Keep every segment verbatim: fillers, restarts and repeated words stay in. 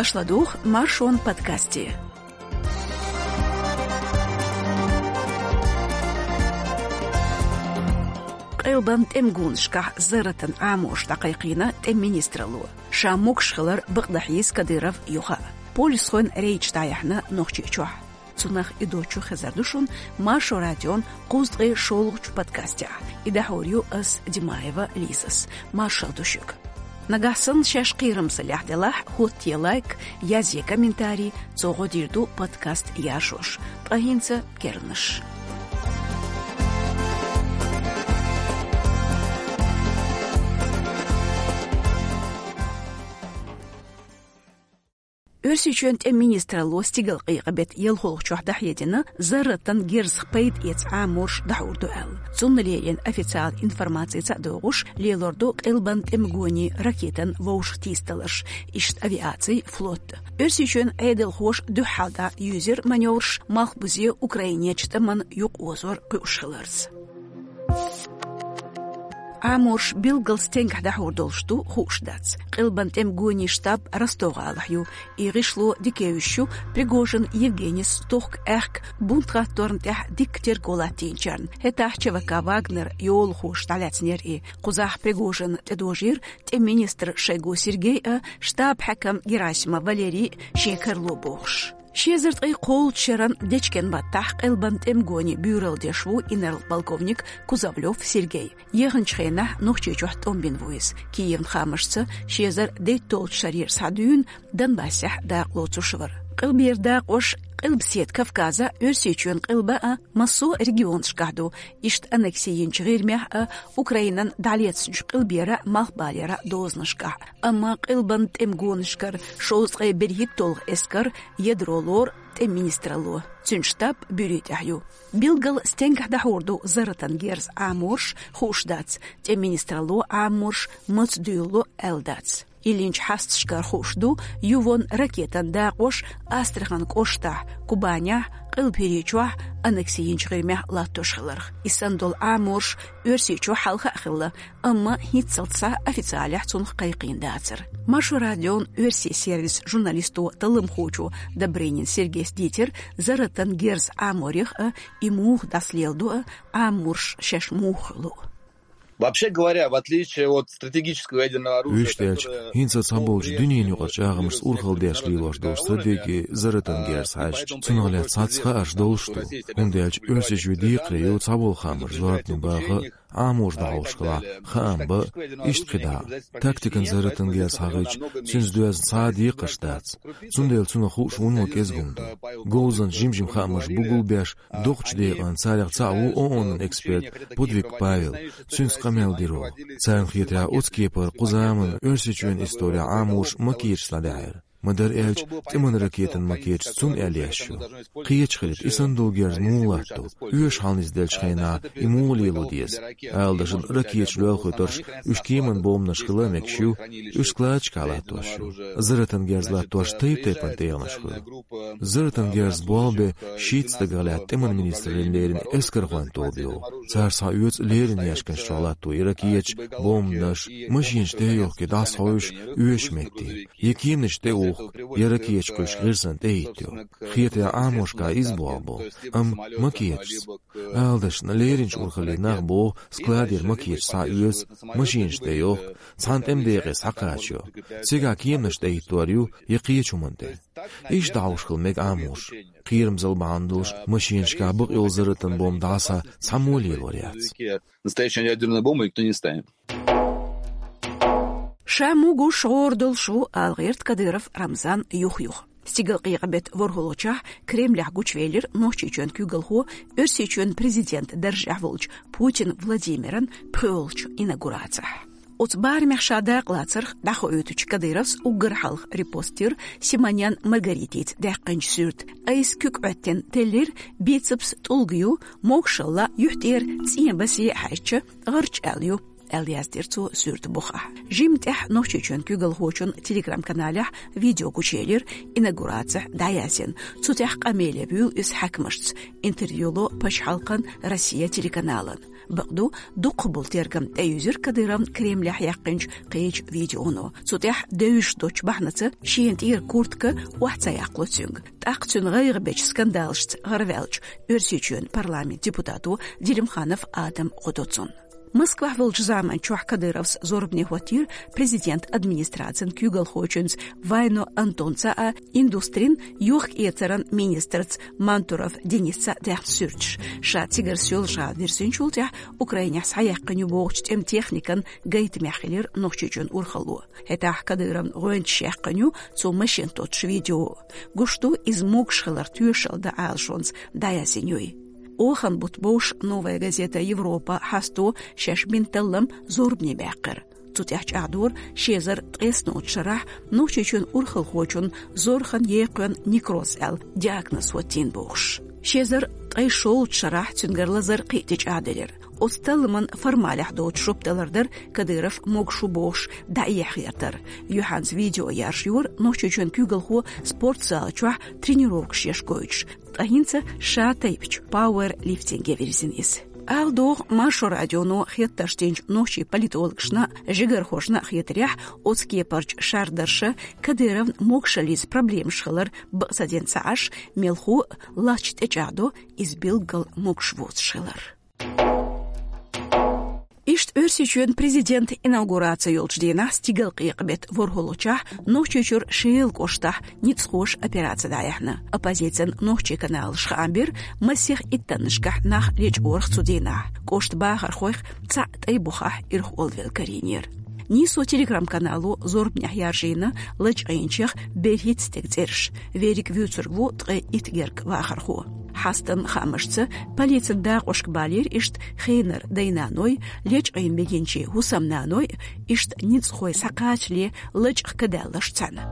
Аша ладугӀу Маршон подкасте. Къилбан тӀеман гонашкахь зарратан Ӏаморш дӀакхайкхийна тӀеман министралло. Ша могаш хилар бакъдахьа йийца Кадыров юха а. Полисхойн рейд дӀаяьхьна Нохчийчохь. Цунах а, и доцчух а хезар ду шуна Маршо радион кхузткъе шолгӀачу подкастехь. И дӀахьур ю ас, Димаева Лизас. Маршалла ду шуьга. Нагахь санна шаьш кхерамзаллехь делахь, хӀоттае лайк, язъе комментарий, цо гӀо дийр ду подкаст яржош. Ткъа хӀинца керланаш. Оьрсийчоьнан тӀеман министралло стигалкъекъа беттан ялхолгӀачохь дӀахьедина зарратан герзах пайда эца Ӏаморш дӀахьур ду аьлла. Цунна лерина официала информаци ца а догӀуш, лелор ду къилбан тӀеман гонийн ракетан вовшахтийсадаларш, иштта авиаци, флот. Оьрсийчоьнан Ӏедалхоша дуьххьал дӀа юьзира маневраш, малхбузе Украинерчу тӀамна юкъаозор кхуьуш хиларца. Ӏаморш билггал стенгахь дӀахьур долуш ду, хууш дац. Къилбан тӀеман гонийн штаб Ростов-гӀалахь ю. И гӀишло дика евзаш ю Пригожин Евгенис тохка аьхка бунтхатторна тӀехь дикка терго латтийначарна. ХӀетахь ЧВК «Вагнер» йолахоша дӀалаьцнера и. Кхузахь Пригожинна тӀедожийра тӀеман министр Шойгу Сергей а, штаб-хьаькам Герасимов Валерий а шен карало бохуш. Ши эзар ткъе кхоалгӀачу шеран дечкен баттахь Къилбан тӀеман гонийн буьйралла деш ву инарла-полковник Кузовлёв Сергей. Яханчу хенахь Нохчийчохь тӀом бина ву иза. Киевн хаамашца, ши эзар дейтталгӀачу шарера схьа дуьйна Донбассехь дакъа лоцуш вара. Къилбера дакъош Къилбаседа Кавказа, Оьрсийчоьнан къилба а, массо а регионашкахь ду, иштта аннекси йинчу ГӀирмехь а, Украинан дӀалецначу къилбера, малхбалера дозанашкахь. Амма Къилбан тӀеман гонашкара шовзткъе берхӀитталгӀа эскар ядро лору тӀеман министралло. Цуьнан штаб Буьрий тӀехь ю. Билггал стенгахь дӀахьур ду зарратан герз Ӏаморш, хууш дац, тӀеман министралло Ӏаморш маца дуьйлало аьлла дац. Йиллинчу хьасташкара хууш ду, ювон ракетан дакъош Астрахань кӀоштахь, Кубанехь, Къилба ХӀирийчохь, аннекси йинчу ГӀирмехь латтош хиларх. И санна долу Ӏаморш Оьрсийчохь хьалха а хилла, амма хӀинццалц схьа официалехь цунах кхайкхийна дацара. Маршо радион оьрсийн сервисан журналисто, талламхочо Добрынин Сергейс дийцира зарратан герз Ӏаморех а, и муха дӀасалеладо а, Ӏаморш шаьш муха хуьлу. Вообще говоря, в отличие от стратегического ядерного оружия, Вуьшта аьлча, которое хӀинца цхьаболчу дуьненан юкъара чӀагӀамашца урхалла деш лелош долу стратеги зарратан герзах хьаьжча, цунах лаьцна цхьацца хаарш долуш ду, хӀунда аьлча Оьрсийчоь декхаре ю цхьаболу хаамаш зорбане баха а, Ӏаморш дӀахьош хилахь, хаам бан а, иштта кхидӀа а. Тактикан зарратан герз хьахийча, цуьнца доьзна цхьа а декхарш дац. Цундела цунах хууш вуно кӀезиг хӀума ду. Говзанчаша жим-жима хаамаш бугулбеш, дукхачу декъана царех цхьаъ ву ООН-ан эксперт Пудвик Павел, цуьнца къамел дира вай. Царна хетарехь, оцу кепара кху заманна Оьрсийчоьнан исторехь Ӏаморш макеташца дӀадаьхьира. Ма-дарра аьлча, тӀеман ракетан макеташ цунна аьлла еш ю. Кхеташ хилийта, и санна долу герз муха латту, оьшуш хьалнисделлачу хенахь и муха лело деза. Ала дашна, ракеташ лоьлхуьйтурш, уьш кеманан бомбанаш хила а мегаш ю, уьш складашкахь латтош ю. Зарратан герз латтош тайп-тайпана тӀегӀанаш хуьлу. Зарратан герз болх бен шийтта стагах лаьтта тӀеман министраллина леррина эскархойн тоба ю. Цара схьаоьцу леррина яьшканаш чохь латто и ракеташ, бомбанаш, машенаш тӀе а йохкий дӀасахьуьйсуш оьшучу метте, я кеманаш тӀе а ухку, я ракеташ кхуьйсуш гӀирсана тӀе а хӀиттайо. Хетарехь, Ӏаморшкахь иза болх бу, амма макеташца. Ала дашна, лерринчу урхаллин нах боху, складера макеташ схьаоьцу, машенаш тӀе йохку, цхьана тӀеман декъе схьакхачайо. Цигахь кеманаш тӀе хӀиттор ю, я кхечу хӀуманна тӀе. Иштта дӀахьош хила мега Ӏаморш. Кхерамзалла бахьана долуш, машенашкахь бакъйолу зарратан бомба дӀаса цхьаммо а лелор яц. Настоящую ядерную бомбу никто не ставит. Ша мугуш гӀора долуш ву ала гӀерта Кадыров Рамзан юх-юха. Стигалкъекъа беттан ворхӀалгӀачохь Кремлехь гучувелира Нохчийчоьнан куьйгалхо, Оьрсийчоьнан президентан даржехь волчу Путин Владимиран пхоьалгӀачу инаугурацехь. Оцу барамехь ша дакъалацарх дӀахоуьйтучу Кадыровс уггар хьалха репост йира Симонян Маргаритица даьккхинчу суьрта. Айса куьг Ӏоьттина теллира, бицепс тӀулга ю, могушалла юьхь тӀера цӀен басе а хьаьжча, гӀарч аьлла ю, аьлла яздира цо суьрта бухахь. Жимма тӀаьхьа Нохчийчоьнан куьйгалхочун Telegram-каналехь видео гучуелира, инаугурацехь дӀаяздина. Цу тӀехь къамеле вуьйлу иза хьаькамашца, интервью ло пачхьалкхан Россия телеканалан. Бакъду, дукхахбола тергам тӀеюьзира Кадыровн Кремлехь яьккхинчу кхечу видеоно. Цу тӀехь девзаш доцчу бахьанаца шена тӀера куртка охьа ца яккхало цуьнга. ТӀаккха цуьнан гӀайгӀа бечу скандалашца гӀараваьллачу Оьрсийчоьнан парламентан депутато Делимханов Адама гӀо до цунна. Москвахь волчу заманчохь Кадыровс зорбане хӀоттийра президентан администрацин куьйгалхочуьнца Вайно Антонца а, индустрин, йохк-эцаран министрца Мантуров Денисца а даьхна суьрташ. Ша цигара Соьлжа-ГӀала вирзинчул тӀаьхьа Украинехь схьаяьккхина ю бохучу тӀеман техникан гайтамехь хилира Нохчийчоьнан урхалло. ХӀетахь Кадыровн гӀоьнчаш яьккхина ю цо машен тоттуш видео. Гуш ду, иза могуш хиларх тоьшалла дан Ӏалашонца дӀаяздина юй. Охан бутт бовш «Новая газета Европа» хьасто шаьш бина таллам зорбане баьккхира. Цу тӀехь чӀагӀдора ши эзар ткъайоьсналгӀачу шарахь Нохчийчоьнан урхалхочунна зорхан екхойн некроз аьлла диагноз хӀоттийна бохуш. Ши эзар ткъе шолгӀачу шарахь цуьнгара лазар кхин а тӀечӀагӀделира. Оцу талламан формалехь доцу жоп далар дара Кадыров могуш ву бохуш дӀаэха гӀертар. Юьхьанца видео яржайора Нохчийчоьнан куьйгалхо спортзал чохь тренировкаш еш гойтуш. Ткъа хӀинца ша тайпачу пауэрлифтинге вирзина иза. Ала догӀу, Маршо радионо хеттарш динчу нохчийн политологашна а, жигархошна а хетарехь, оцу кепарчу шардарша Кадыровн могушаллица проблемаш хилар бакъ ца дина ца Ӏаш, мелхо а лач тӀечӀагӀдо иза билггал могуш воцуш хилар. Иштта Оьрсийчоьнан президентан инаугураци йолчу дийнахь, стигалкъекъа беттан ворхӀалгӀачохь, Нохчийчуьра Шелан кӀоштахь ницкъахоша операци дӀаяьхьна. Оппозицин нохчийн каналаша хаам бира, масех иттаннашкахь нах лечкъорах цу дийнахь. КӀоштан бахархойх цхьаъ тӀайн бухахь ирхъолвелла карийнера. Нийсо телеграм-канало зорбанехь яржийна лачкъийначех берхӀитта стеган цӀераш. Верриг вуьйцург ву ткъе итт гергга вахархо. Хьастан хаамашца, полицин дакъошка балийра иштта хенара дай-наной, лечкъийна бегинчийн хӀусамнаной, иштта ницкъахой схьакхачале лачкъа кадаьлларш цхьаьна.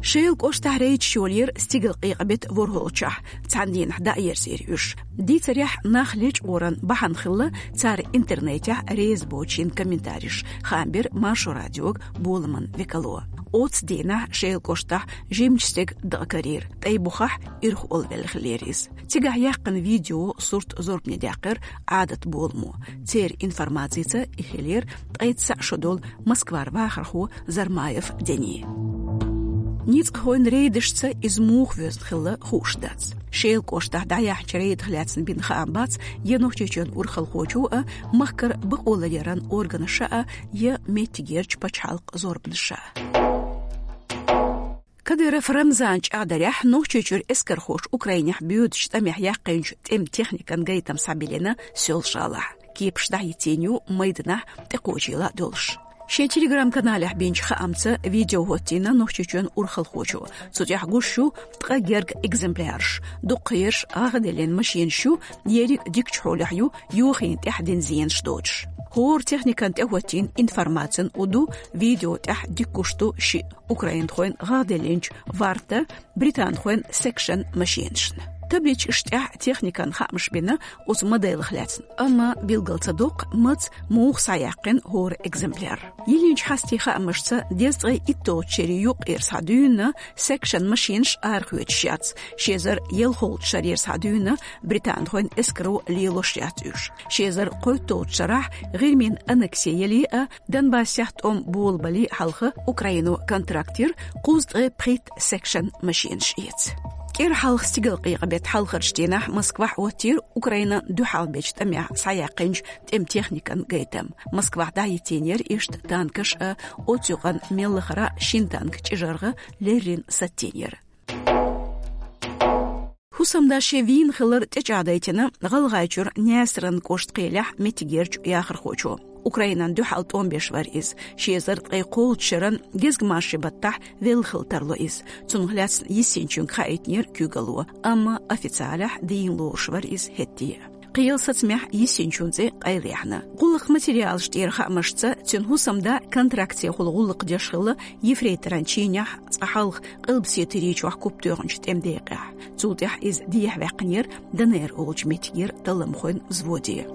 Шелан кӀоштахь рейдаш йолийра стигалкъекъа беттан ворхӀалгӀачохь, цхьана дийнахь дӀаерзийра уьш. Дийцарехь, нах лечкъоран бахьана хилла цара интернетехь реза боцучийн комментареш, хаам бира Маршо радиога боламан векало. Оццу дийнахь Шелан кӀоштахь жимачу стеган дакъа карийра, тӀайн бухахь ирхъолвелла хиллера иза. Цигахь яьккхина видео, сурт зорбане даьккхира Ӏадат боламо. Церан информацица, и хиллера ткъе цхьаъ шо долу Москвара вахархо Зармаев Дени. Ницкъахойн рейдашца иза муха воьзна хилла хууш дац. Шелан кӀоштахь дӀаяьхьначу рейдах лаьцна бина хаам бац я Нохчийчоьнан урхалхочо а, махкара бакъоларъяран органаша а, я меттигерчу пачхьалкхан зорбанаша а. Кадыров Рамзанан чӀагӀдарехь, Нохчийчуьра эскархоша Украинехь боьдучу тӀамехь яьккхинчу тӀеман техникан гайтам схьабиллина Соьлжа-ГӀалахь. Кепаш дӀахӀиттийна ю майданахь тӀекхочийла долуш. Шен телеграм-каналехь бинчу хаамца видео хӀоттийна Нохчийчоьнан урхалхочо. Цу тӀехь гуш ю ткъа гергга экземпляраш. Дуккха ерш гӀагӀделлина машенаш ю, ерриг дикачу хьолехь ю, йохийна тӀехь дина зенаш доцуш. ХӀора техникан тӀехӀоттийна информацин у ду видео тӀехь дика гуш ду шиъ украинхойн гӀагӀделлинчу Варта, британхойн Section машенашна. Табличкаш тӀехь техникан хаамаш бина оцу моделах лаьцна, амма билгал ца доккху, маца, муха схьаяьккхина хӀора экземпляр. Йиллинчу хьастийн хаамашца, дезткъе итталгӀачу шерийн юккъера схьадуьйна Section машенаш арахоьцуш яц, ши эзар ялхалгӀачу шарера схьадуьйна британхойн эскаро лелош яц уьш. Ши эзар кхойтталгӀачу шарахь ГӀирмийн аннекси яле а, Донбассехь тӀом болабале а хьалха Украино контракт йира кхузткъе пхийтта Section машенаш эца. КӀира хьалха стигалкъекъа беттан хьалхарчу дийнахь Москвахь хӀоттийра Украинан дуьхьалбечу тӀамехь схьаяьккхинчу тӀеман техникан гайтам. Москвахь дӀахӀиттийнера иштта танкаш а, оцу юкъана мел лахара а шина танк чӀижаргӀа леррина саттийнера. ХӀусамда шен вийна хилар тӀечӀагӀдайтина ГӀалгӀайчуьра Наьсаран кӀоштан кхелехь меттигерчу яхархочо. Украинан дуьхьал тӀом беш вара иза. Ши эзар ткъе кхоалгӀачу шеран гезгмашин баттахь велла хила тарло иза. Цунах лаьцна йисинчуьнга хаийтинера куьйгалло, амма официалехь дийна лоруш вара иза хӀетте а. Кхелан сацамехь йисинчун цӀе къайлаяьхьна. ГӀуллакхан материалаш тӀера хаамашца, цуьнан хӀусамда контрактехула гӀуллакх деш хилла ефрейторан чинехь, цкъа хьалха Къилбаседа ТӀирийчохь куп тоьхначу тӀеман декъехь. Цул тӀаьхьа иза дехьаваьккхинера ДНР олучу меттигера талламхойн взводе.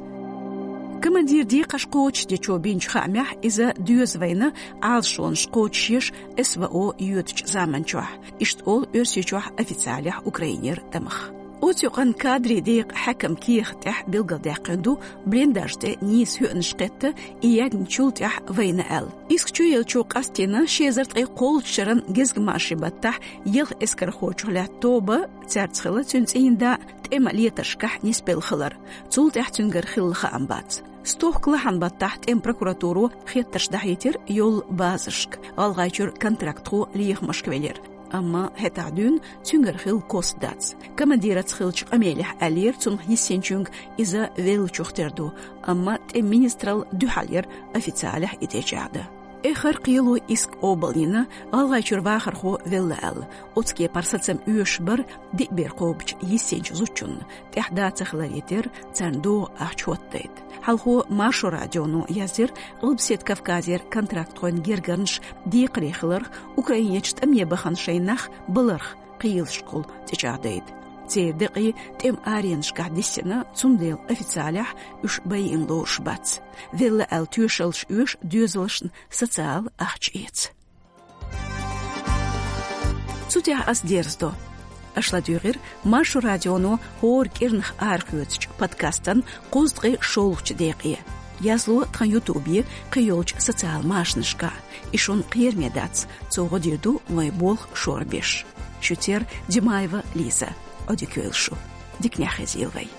Командиран декхарш кхочушдечо бинчу хаамехь, иза доьза вайна Ӏалашонаш кхочушъеш СВО йоьдучу заманчохь. Иштта олу Оьрсийчохь официалехь Украинера тӀамах. Оцу юкъанна кадрийн декъа хьаькам кехат тӀехь билгалдаьккхина ду, блиндаж тӀе нийса хӀоьъанаш кхетта, и ягначул тӀехь вайна аьлла. Иск чуеллачо къастийна ши эзар ткъе кхоалгӀачу шеран гезгмашин баттахь ялх эскархочух лаьтта тоба, цаьрца хилла цуьнан цӀийнда, тӀеман летаршкахь нисбелла хилар. Цул тӀаьхьа цуьнгара хилла хаам бац. Стохка лахьан баттахь тӀеман прокуратуро хеттарш дӀахьийтира йолу базашка, ГӀалгӀайчуьра контрактхо лехамашка велира. Амма хӀетахь дуьйна цуьнгара хилла кост дац. Командираца хиллачу къамелехь аьллера цунах йиссинчуьнга, иза веллачух тера ду, амма тӀеман министралла дуьхьал яра официалехь и тӀечӀагӀдан. Эххар кхело Иск къобалйина, ГӀалгӀайчуьра вахархо велла аьлла. Оцу кепара сацам оьшуш бара диъ бер кхобучу йиссинчу зудчунна, тӀехь да ца хиларе терра, царна догӀу ахча хӀоттадайта. Хьалхо Маршо радионо яздира, Къилбаседа Кавказера контрактхойн гергарнаш декхаре хиларх, Украинерчу тӀаме бахана шайн нах баларх кхелашкахула тӀечӀагӀдайта. Церан декъий тӀеман аренашкахь диссина, цундела официалехь уьш байина лоруш бац. Велла аьлла тоьшаллаш оьшу, доьзалшна социал ахча эца. Цу тӀехь ас дерзадо. Аша ладуьйгӀира Маршо радионо хӀора кӀирнах арахоьцучу подкастан кхузткъе шолгӀачу декъе. Язло тхан ютубе, кхийолчу социал машанашкахь. И шуна кхераме дац, цо гӀо дийр ду вайн болх шорбеш. Шуьца яра Димаева Лиза. Ӏодика йойла шу. Диканехь хезийла вай.